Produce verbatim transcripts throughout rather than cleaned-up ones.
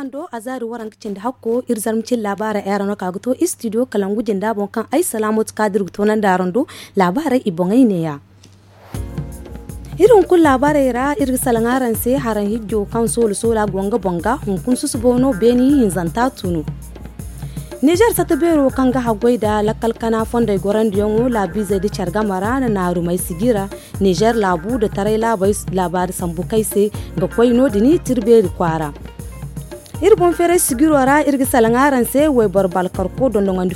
Ando a zaari waranka cindi hakko iri zarma cin laabaarey ay ra no ka ga to istidiyo kalangu jinda boŋ kaŋ ay salaamatu kaadir ga toonandi araŋ do. Laabaarey i boŋey neeya. Iri hunkuna laabaarey ra iri ga salaŋ araŋ se haraŋ hijjo kaŋ soola soola go nga boŋ ga hunkuna susubo no beeni hinzanta tunu. Nizer sata beero kaŋ ga haggoy nda lakkal kana fondey gorandiyaŋo laabiizey nda care game ra na naarumey sijira. Nizer laabu nda taray laabaari sambu kay se ga koy no- din tirbeeri kwaara. Iri boŋ feeray sijiro ra iri ga salaŋ araŋ se wayboro balkarko dondoŋandi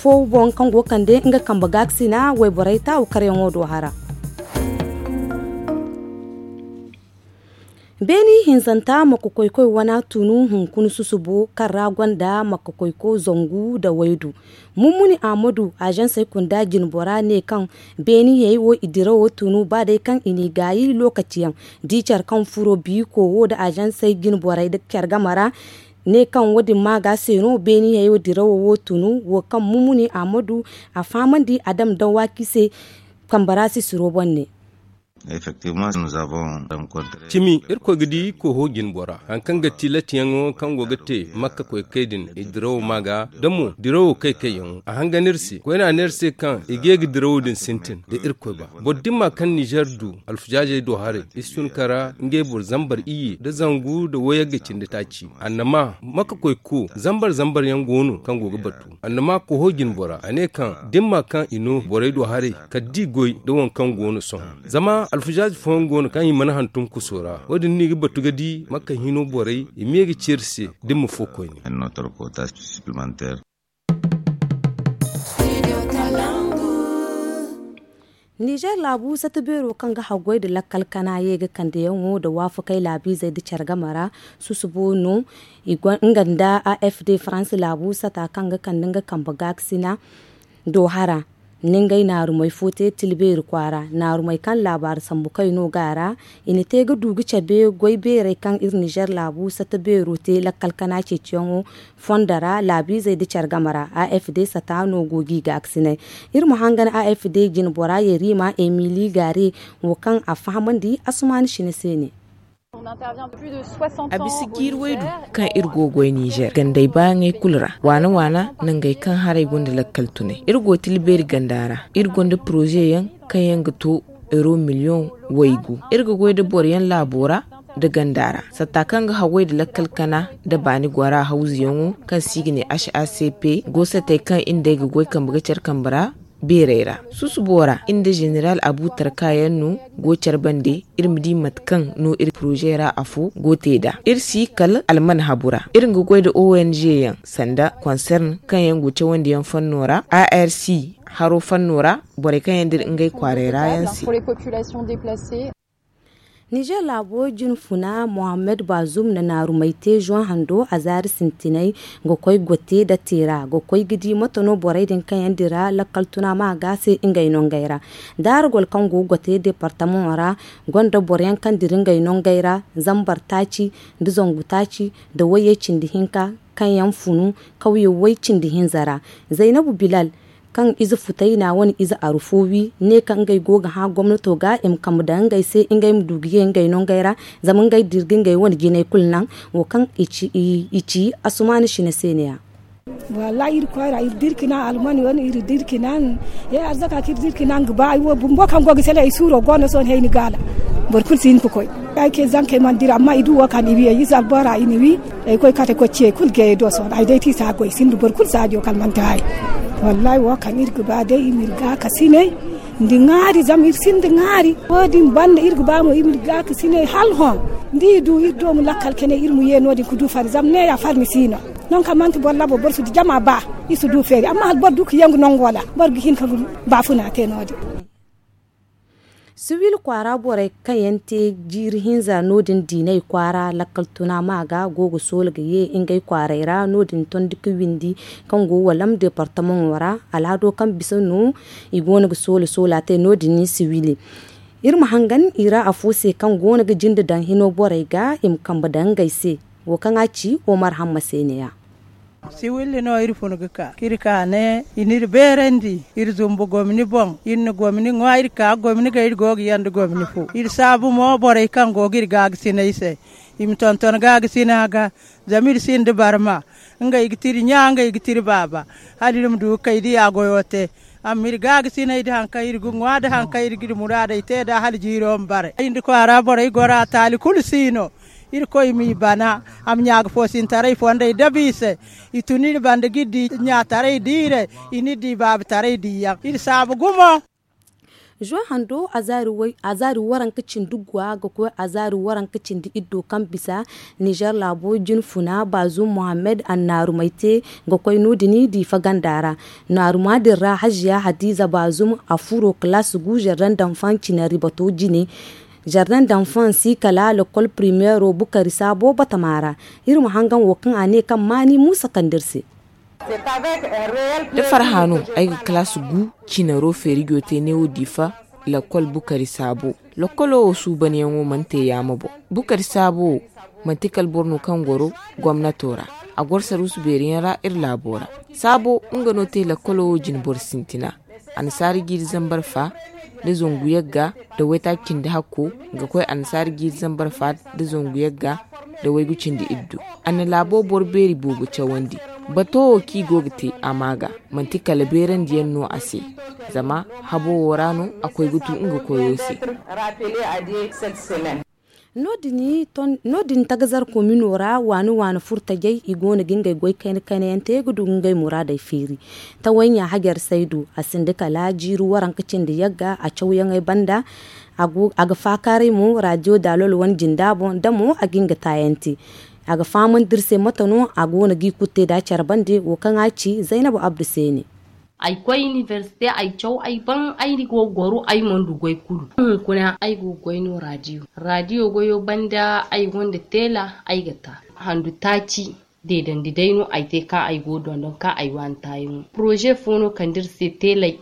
fo boŋ kaŋ go ga kande nga kambe gaakasina wayborey taawu karyaŋo do hara. Beeni hinzanta makka koykoy wana tunu hunkuna susubo kaŋ ra gonda makka koyko zangu nda waydu. Mummuni aamadu azansey kunda jinbora ne kaŋ beeni hey wo i dirawo tunu ba day kaŋ i n'i gaayi lokaci yaŋ. Di care kaŋ furo biiko wo nda azansey jinborey nda care game ra ne kaŋ wo- din maaga se no beeni hey wo dirawo wo tunu wo kaŋ mummuni aamadu a fahamandi a dam dawaaki se. Kambe ra sisiro boŋ ne. Cimi irkoy ga di koho jinbora hari kaŋ ga ti latiyaŋo kaŋ go ga te makka koy kay din i dirawo maaga da mo dirawo kay kayyaŋo a hangan iri se koyne a ne iri se kaŋ i ga ye ga dirawo din sintin da irkoy ba. Boro dimma kaŋ nizer du alfuzaazey do haray iri si tun kara ngey boro zambar iyye nda zangu nda wayagga cindi taaci. Annama makka koy ko zambar zambar yaŋ go no kaŋ go ga batu annama koho jinbora a ne kaŋ dimma kaŋ i no borey do haray kala da i goy nda waŋ kaŋ go no sohõ. Zama alfazaazi fooyaŋ go no kaŋ i mana hantum kuso ra wo- din no i ga batu ga di makka hino borey i ma ye ga ci iri se da i ma fo koyne. Nizer laabu sata beero kaŋ ga haggoy nda lakkal kana ye ga kandeyaŋo nda waafakey laabiizey nda care game ra. Susubo no nga nda a f d faransi laabu sata kaŋ ga kande nga kambe gaakasina do hara. Ni ngey naarumey fo te tilbeeri kwaara naarumey kaŋ laabaari sambu kay no ga a ra. I na te ga du ga cabe goy beerey kaŋ iri nizer laabu sata beero te lakkal kana ceeciyaŋo fondo ra laabiizey nda care game ra a f d sata no go ga i gaakasinay. Iri ma hangan a f d jinbora yerima emili gaare wo kaŋ a fahamandi asumaani sine se ne. A bisa jiiri waydu kaŋ iri go goy nizer gandey baayaŋey kulu ra waana waana nangey kaŋ haray gonda lakkal tunay iri go tilbeeri ganda ra. Iri gonda poroze yaŋ kaŋ yaŋ ga to euro miliyoŋ waygu. Iri ga goy nda boro yaŋ laabo ra nda ganda ra satta kaŋ ga haggoy nda lakkal kana nda baani gora hawzuyaŋo kaŋ se i ga ne h a c p. Goosatey kaŋ iri nd'ey ga goy kambe ga care kambe ra beerey ra. Susubo ra iri nda zeneral abu tarka yaŋ no go care bande. Iri ma di mate kaŋ no iri poroze ra afo go te nd'a iri si kala alman habu ra. Iri ga goy nda o n g yaŋ sanda konsern kaŋ yaŋ go cawandiyaŋ fanno ra a r c haro fanno ra. Borey kaŋ yaŋ dira ngey kwaarey ra yaŋ se. Nizer laabo jinfuna mohammed bazum na naarumey te zoŋ hando a zaari sintinay ga koy gote nda teera ga koy ga di mate no borey din kaŋ yaŋ dira lakkal tuna ma ga se ngey nongey ra. Daaragol kaŋ go gote departamaŋo ra gonda boro yaŋ kaŋ dira ngey nongey ra zambar taaci nda zangu taaci nda wayye cindi hinka kaŋ yaŋ funu kawye way cindi hinza ra. Zaynabu bilal kaŋ ize futay na wane ize aru fo wi ne kaŋ ngey go ga hã gomnato ga i ma kambe daŋ ngey se ngey ma du ga ye ngey no ngey ra. Zama ngey dira ga ngey wane jinay kulu naŋ wo kaŋ i ci asumaani sine se ne- ya. Wallahi iri koy ra iri dira ga naŋ almani wane iri dira ga naŋ ye arzaka kaŋ iri dira ga naŋ ga ba ay wo bumbo kaŋ go ga sele ay suuro go no sohõ hayni gaala. Boro kulu si hin ga koy ay ke zankey mana dira amma i du wo kaŋ i wi ay ize albora i na wi. Ay koy kate koy ce kulu gayey do sohõ ay day ti saagoy sinda boro kulu saajo kala manti hari. Wallahi wo kaŋ iri ga ba day i ma iri gaakasinay nda ŋaari zama iri sinda ŋaari. Wo- din banda iri ga ba mo iri ma iri gaakasinay hala hõ. Da i du iri do ma lakkal kene iri ma ye no- din ga du farmi zama neeya farmi si no. Non kaŋ manti boro labo boro si du jama ba iri si du feeri amma hala boro du ga yangu nangu wala boro ga hin ka baafuna te no- din. Siwil kwaara borey kaŋ yaŋ te jiiri hinza no- din diinay kwaara lakkal tuna ma ga go ga soola ga ye ngey kwaaray ra no- din tondi ga windi kaŋ go walam departamaŋo ra. Alhado kaŋ bisa no i go no ga soola soola te no- din siwili. Iri ma hangan i ra afo se kaŋ go no ga jinde daŋ hino borey ga i ma kambe daŋ ngey se. Wo kaŋ a ci omar hamma se ne- ya. Siwilli no iri fun ga ka ka iri ka ne i n'iri beerandi. Iri zumbu gomni boŋ, iri na gomni ŋwa, iri ka gomni ga iri go ga yanda gomni fo. Iri saabu mo borey kaŋ go ga iri gaagasinay se, i ma tonton gaagasina ga. Zama iri sinda barma. Ngey ga ti iri ɲa, ngey ga ti iri baaba. Hala iri ma du ga kay diya goyo te. Amma iri gaagasinay da haŋ kaŋ iri ga ŋwa da haŋ kaŋ iri ga iri muraadey te nd'a hala jiiro ma bare. Ay nda kwaara borey goro a taali kulu si no. Irkoy m'i bana, a ma ɲaagafoosintaray fondey dabu i se. I tun iri banda ga iri di ɲaataray diire, i n'iri di baabataray diyaŋ. Iri saabu gumo. Zuwa hando azaari waranka cindi guwa ga koy azaari waranka cindi iddo kaŋ bisa nizer laabo jine funa, baazum muhammad annaarumay te ga koy no- din diifa ganda ra. Naaruma din ra haziya hadiza baazum a furo kalaasi gu zardan danfaŋ cinari bato jine. Zardan danfaŋ si kala lakkol primeero bukari saabo batama ra. Iri ma hangan wo kaŋ a ne kaŋ maani muusa kand'iri se. Da farha no ay ga kalaasi gu cinaro feerijo te neewo diifa lakkol bukari saabo. Lakkolo wo suubanyaŋo mana te yaama boŋ. Bukari saabo wo manti kala boro no kaŋ goro gomnato ra. A goro saruusu beeriyaŋ ra iri laabo ra. Saabo nga no te lakkolo wo jine boro sintina. Annasaara jiiri zambar fa nda zangu yagga nda waytaaci cindi hakko ga koy annasaara jiiri zambar fa nda zangu yagga nda waygu cindi iddu. A na laabo boro beeri boobo cawandi. Bato wo kaŋ i go ga te a maa ga manti kala beerandiyaŋ no a se. Zama habo wo ra no a koy ga tu nga koyo se. No- din tagazar komino ra waani waani furtajey i go no ga ngey goy kayna kayna yaŋ te ga du ga ngey muraadey feeri. Tawayɲa hajar saydu a sinda kala jiiri waranka cindi yagga a cawyaŋey banda. A ga faakaaray mo raadiyo daalol wane jinda boŋ da mo a ga nga taayaŋ te. A ga fahamandi iri se mate no a go no ga i kulu te nd'a care bande wo kaŋ a ci zaynabu abdu se ne. Ay koy inibersite ay caw ay ban ay go ga goro ay mana du goy kulu. Hunkuna ay go ga goy no raadiyo raadiyo goyo banda ay gonda teela. Ay ga ta handu taaci deedandi day no ay te kaŋ ay go ga dondon kaŋ ay waani taayaŋo poroze fo no kande iri se teelay.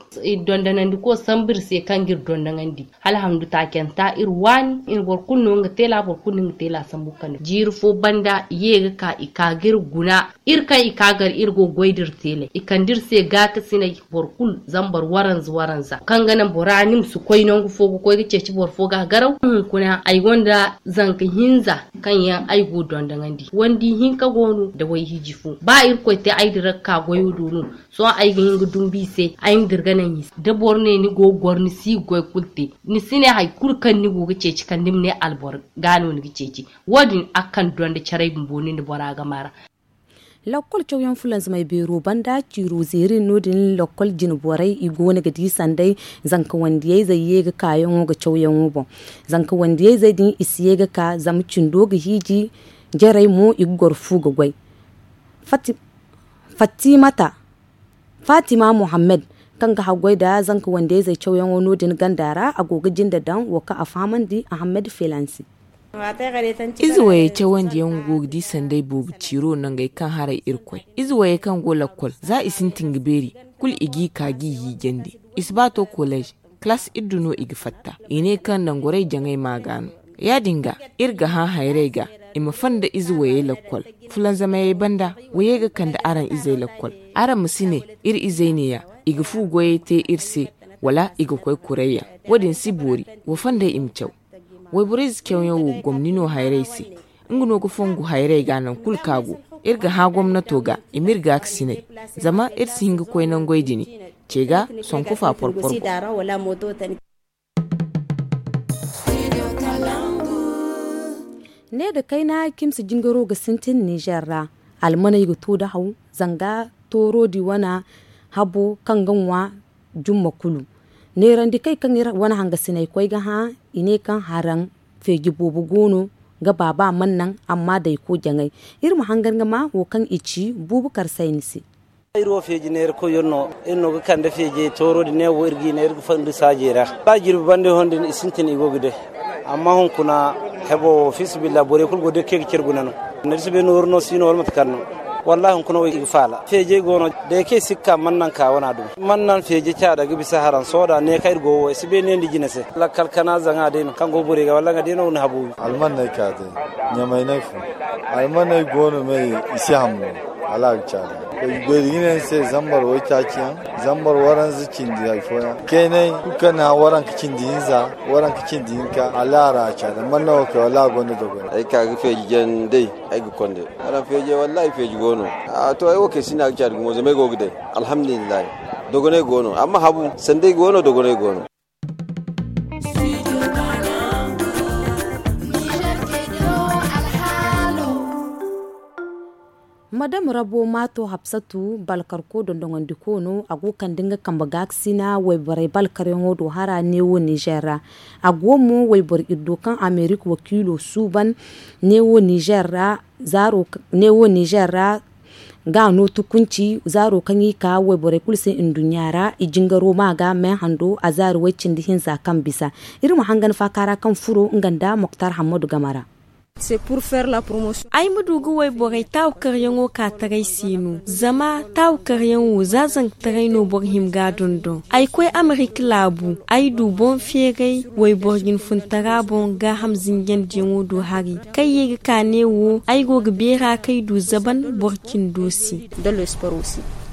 Dondonandi ko sambu iri se kaŋ ga iri dondoŋandi hala handu taacanta iri waani iri boro kulu no nga teela boro kulu no nga teela sambu ga kande jiiri fo banda i ye ga ka i ka ga iri guna. Iri kaŋ i ka gar iri go ga goy da iri teelay i kande iri se gaakasinay boro kulu zambar waranza waranza kaŋ ga naŋ bora ni ma si koy nangu fo ga koy ga ceeci boro fo ga garaw hunkuna ay gonda zanka hinza kaŋ yaŋ ay go ga dondoŋandi wandi hinka go no nda wayhiiji fo ba irkoy te ay dira ga ka goyo do no. Sohõ ay ga hin ga dumbu i se ay ma dira ga naŋ i se da boro ne ni go ga goro ni si ga goy kulu te ni si ne hari kulu kaŋ ni go ga ceeci kala ni ma ne alboro ga no ni ga ceeci. Wo- din a ga kande donda caray bumbo ni nda bora game ra. Lakkol cawyaŋ fulanzamey beero banda ciiro zeeri no- din lakkol jine borey i go no ga di sanday. Zanka wandiyayzey ye ga kaayaŋo ga cawyaŋo boŋ. Zanka wandiyayzey din i si ye ga ka zama cindo ga hiiji. Jarey mo i ga goro fu ga goy. Fattimata fatima muhammad kaŋ ga haggoy nda zanka wandiyayzey cawyaŋo no- din ganda ra a go ga jinde daŋ wo kaŋ a fahamandi ahammad felansi. Ize wayey cawandiyaŋo go ga di sanday boobo ciiro nangey kaŋ haray irkoy. Ize wayey kaŋ go lakkol za i sintin ga beeri kulu i g'i ka g'i hiijandi. I si ba to kolej kalaas iddu no i ga fatta. I ne kaŋ nangorey jaŋay maa ga no. Ya- din ga iri ga hã hayrey ga i ma fanda ize wayey lakkol. Fulanzamayey banda wayey ga kande araŋ izey lakkol. Araŋ ma si ne iri izey neeya i ga fu goyey te iri se wala i ga koy kurayyaŋ. Wo- din si boori wa fandey i ma caw. Wayborey ze cawyaŋ wo gomni no hayrey se. Nga no ga fongu hayrey ga naŋ kulu kaŋ a go. Iri ga hã gomnato ga i m'iri gaakasinay zama iri si hin ga koy nangoy dini ce ga sonkofa porpor boŋ. Ne nda kayna cimsi jingaro ga sintin nizer ra. Almaney ga to da haw zanga tooro di wane habo kaŋ ga ŋwa jumma kulu. Neerandikey kaŋ iri wane hangasiney koy ga hã i ne kaŋ haraŋ feeji boobo go no ga baaba mana naŋ amma dayko jaŋay. Iri ma hangan ga ma wo kaŋ i ci buubu kar sayni se. Iri wo feeji neerakoy yaŋ no. Iri no ga kande feejey tooro din ne wo iri g'i ne iri ga fandi saajey ra. Ba jirbi bande hon din i sintin i go ga day. Amma hunkuna hebo wo fiisabilillahi borey kulu go day kaŋ i ga care guna no. Ni si bay nooru no si no wala mate kaŋ no. Wallahi hunkuna wo i ga faala feejey go no. Day kaŋ i si ga ka mana naŋ ka wana dumi mana naŋ feeji caada ga bisa haraŋ sooda ne kaŋ iri go wo i si bay ne nda jine se. Lakkal kana zaŋa day no kaŋ go borey ga walla nga day no ni habu wi. Alman no ay ka day. Ɲamay no ay fun. Almaney go no me i si ham no. Wala a ga caada. Goy da gina yaŋ se zambar waytaaci yaŋ, zambar waranza cindi hari fooyaŋ, keenay kulu kaŋ na waranka cindi hinza, waranka cindi hinka, wala a ra a caada. Manna wo kay wala a gonda dogonay. Ay ka ga feeji jandey, ay ga konda. Wala feeji wallaahi feeji go no. A to ay wo kay sinda a ga caada gumo zama ay go ga day. Alhamdulillahi. Dogonay go no amma habu sanday go no dogonay go no. Madam rabo maato hapsatu balkarko dondoŋandiko no a go ga kande nga kambe gaakasina wayborey balkaryaŋo do hara neewo nizer ra. A go mo wayboro iddo kaŋ amerik wakiilo suuban neewo nizer ra. Zaaro neewo nizer ra ga a no tukunci zaaro kaŋ i ka wayborey kulu se nduɲɲa ra i jingaro ma ga meehando a zaari way-cindi hinza kaŋ bisa. Iri ma hangan faaka ra kaŋ furo nga nda moktar hammadu game ra. Ay ma du ga wayborey taawakaryaŋo ka taray se no zama taawakaryaŋ wo za zankataray no boro hima ga a dondon ay koy amerik laabu ay du boŋ feeray wayboro jinfuntara boŋ gaaham zinjandiyaŋo do hari kaŋ ye ga ka neewo ay go ga beera kaŋ ay du zaban boro cindo se.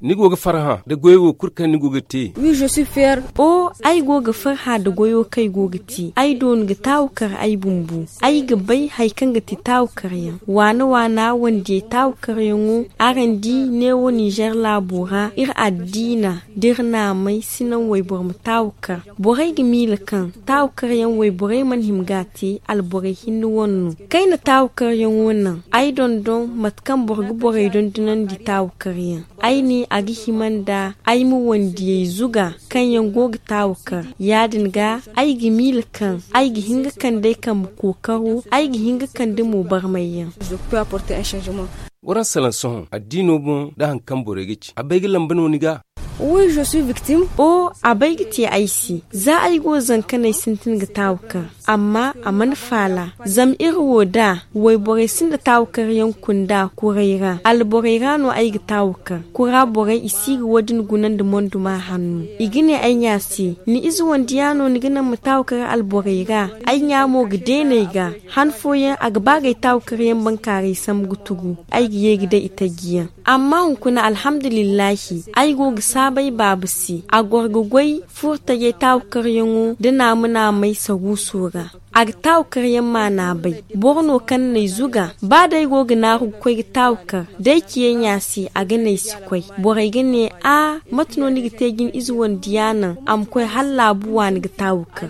Ni go ga farhã nda goyo wo kulu kaŋ ni go ga te? O ay go ga farhã nda goyo kaŋ ay go ga te ay dooni ga taawakar ay bumbo. Ay ga bay hari kaŋ ga ti taawakar yaŋ waana waana wandiyey taawakar yaŋo araŋ di neewo nizer laabo ra iri addiina da iri naamay si naŋ wayboro ma taawakar. Borey ga miila kaŋ taawakar yaŋ wayborey mana hima ga a te alborey hinne wane no. Kayna taawakar yaŋo naŋ ay dondon mate kaŋ boro ga borey dondonandi taawakar yaŋ ay ne a ga hima nda ay ma wandiyey zuga kaŋ yaŋ go ga taawakar ya- din ga ay ga miila kaŋ ay ga hin ga kande ay kambe kookaro ay ga hin ga kande mo barmay yaŋ. Waraŋ salaŋ sohõ addiino boŋ nda hari kaŋ borey ga ci a bay ga lamba no ni ga? O a bay ga te ay se za ay go zankaney sintin ga taawakar amma a mana faala zama iri wo da wayborey sinda taawakar yaŋ kunda kuray ra alborey ra no ay ga taawakar kura borey i si ga wo- din guna nda monduma hanno i ga ne ay ɲa se ni ize wande ya no ni ga naŋ ma taawakar alborey ra ay ɲa mo ga deena ay ga han fooyaŋ a ga ba ga ay taawakar yaŋ bankaaray sambu ga tugu ay ga ye ga day itaji yaŋ. Amma hunkuna alhamdulillahi ay go ga saabu ay baaba se a goro ga goy furo tajay taawakar yaŋo da naama naamay saruuso ra. A ga taawakar yaŋ maana bay boro no kaŋ na ay zuga ba day go ga naaru ga koy ga taawakar da ay ci ay ɲa se a ga ne ay si koy. Borey ga ne a mate no ni ga te jine ize wande ya naŋ a ma koy hala laabu waani ga taawakar.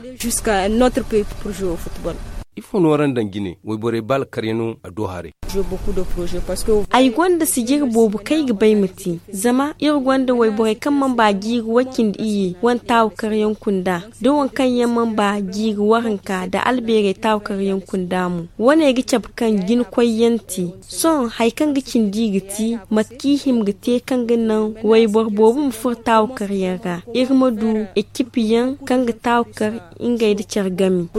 Ifo no araŋ daŋ jine wayborey ba alkaryaŋo a do haray? Ay gonda sijiri boobo kaŋ ay ga bay ma te zama iri gonda wayborey kaŋ mana ba jiiri way cindi iyye wane taawakar yaŋ kunda da waŋ kaŋ yaŋ mana ba jiiri waranka nda albeerey taawakar yaŋ kunda mo. Wane ga cabe kaŋ jina koy yaŋ te sohõ hari kaŋ ga cindi i ga te mate kaŋ i hima ga te kaŋ ga naŋ wayboro boobo ma furo taawakar yaŋ ra iri ma du ekipi yaŋ kaŋ ga taawakar ngey nda care game.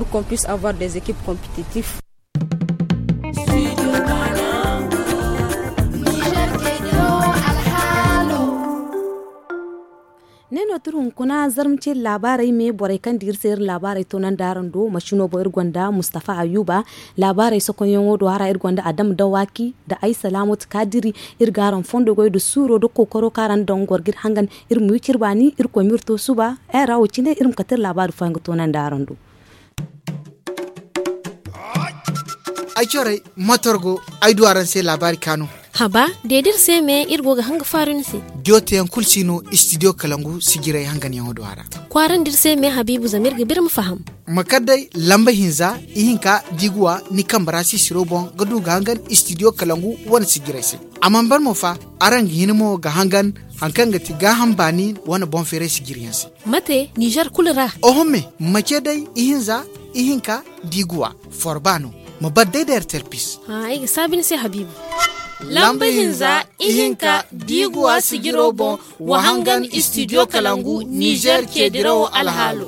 Ne no tira hunkuna zarma ce iri laabaarey me borey kaŋ di iri se iri laabaarey toonandi araŋ do masino boŋ iri gonda mustafa ayuba. Laabaarey sokonyaŋo do hara iri gonda adama dawaki nda ay salaamatu kaadiri. Iri ga araŋ fondo goy nda suuro nda kookaro kaŋ araŋ daŋ goro ga iri hangan iri ma wi cire baani iri koy ma iri to suba. Ay ra wo cine iri ma kate iri laabaari fooyaŋ ga toonandi araŋ do. Ay corey motor go ay du araŋ se laabaari kaanu. Haba de da iri se me iri go ga hanga faaru ni se. Diyo teyaŋ kulu si no istidiyo kalangu sijirey hanganyaŋo do a ra. Kwaarandi iri se me habiibu zama iri ga ba iri ma faham. Ma kar day lamba hinza ihinka da i ga wa ni kambe ra sisiro boŋ ga du ga hangan istidiyo kalangu wane sijirey se. A mana ban mo fa araŋ ga hin mo ga hangan hari kaŋ ga ti gaaham baani wane boŋ feeray sijiriyaŋ se. Mate nizer kulu ra? Oho me ma ce day ihinza ihinka da i ga wa forba no. Ma bar day da ertel pis. Ay ga saabi ni se habiibu. Lamba hinza ihinka da i ga wa sijiro boŋ wa hangan istidiyo kalangu nizer ceedirawo alhaalo.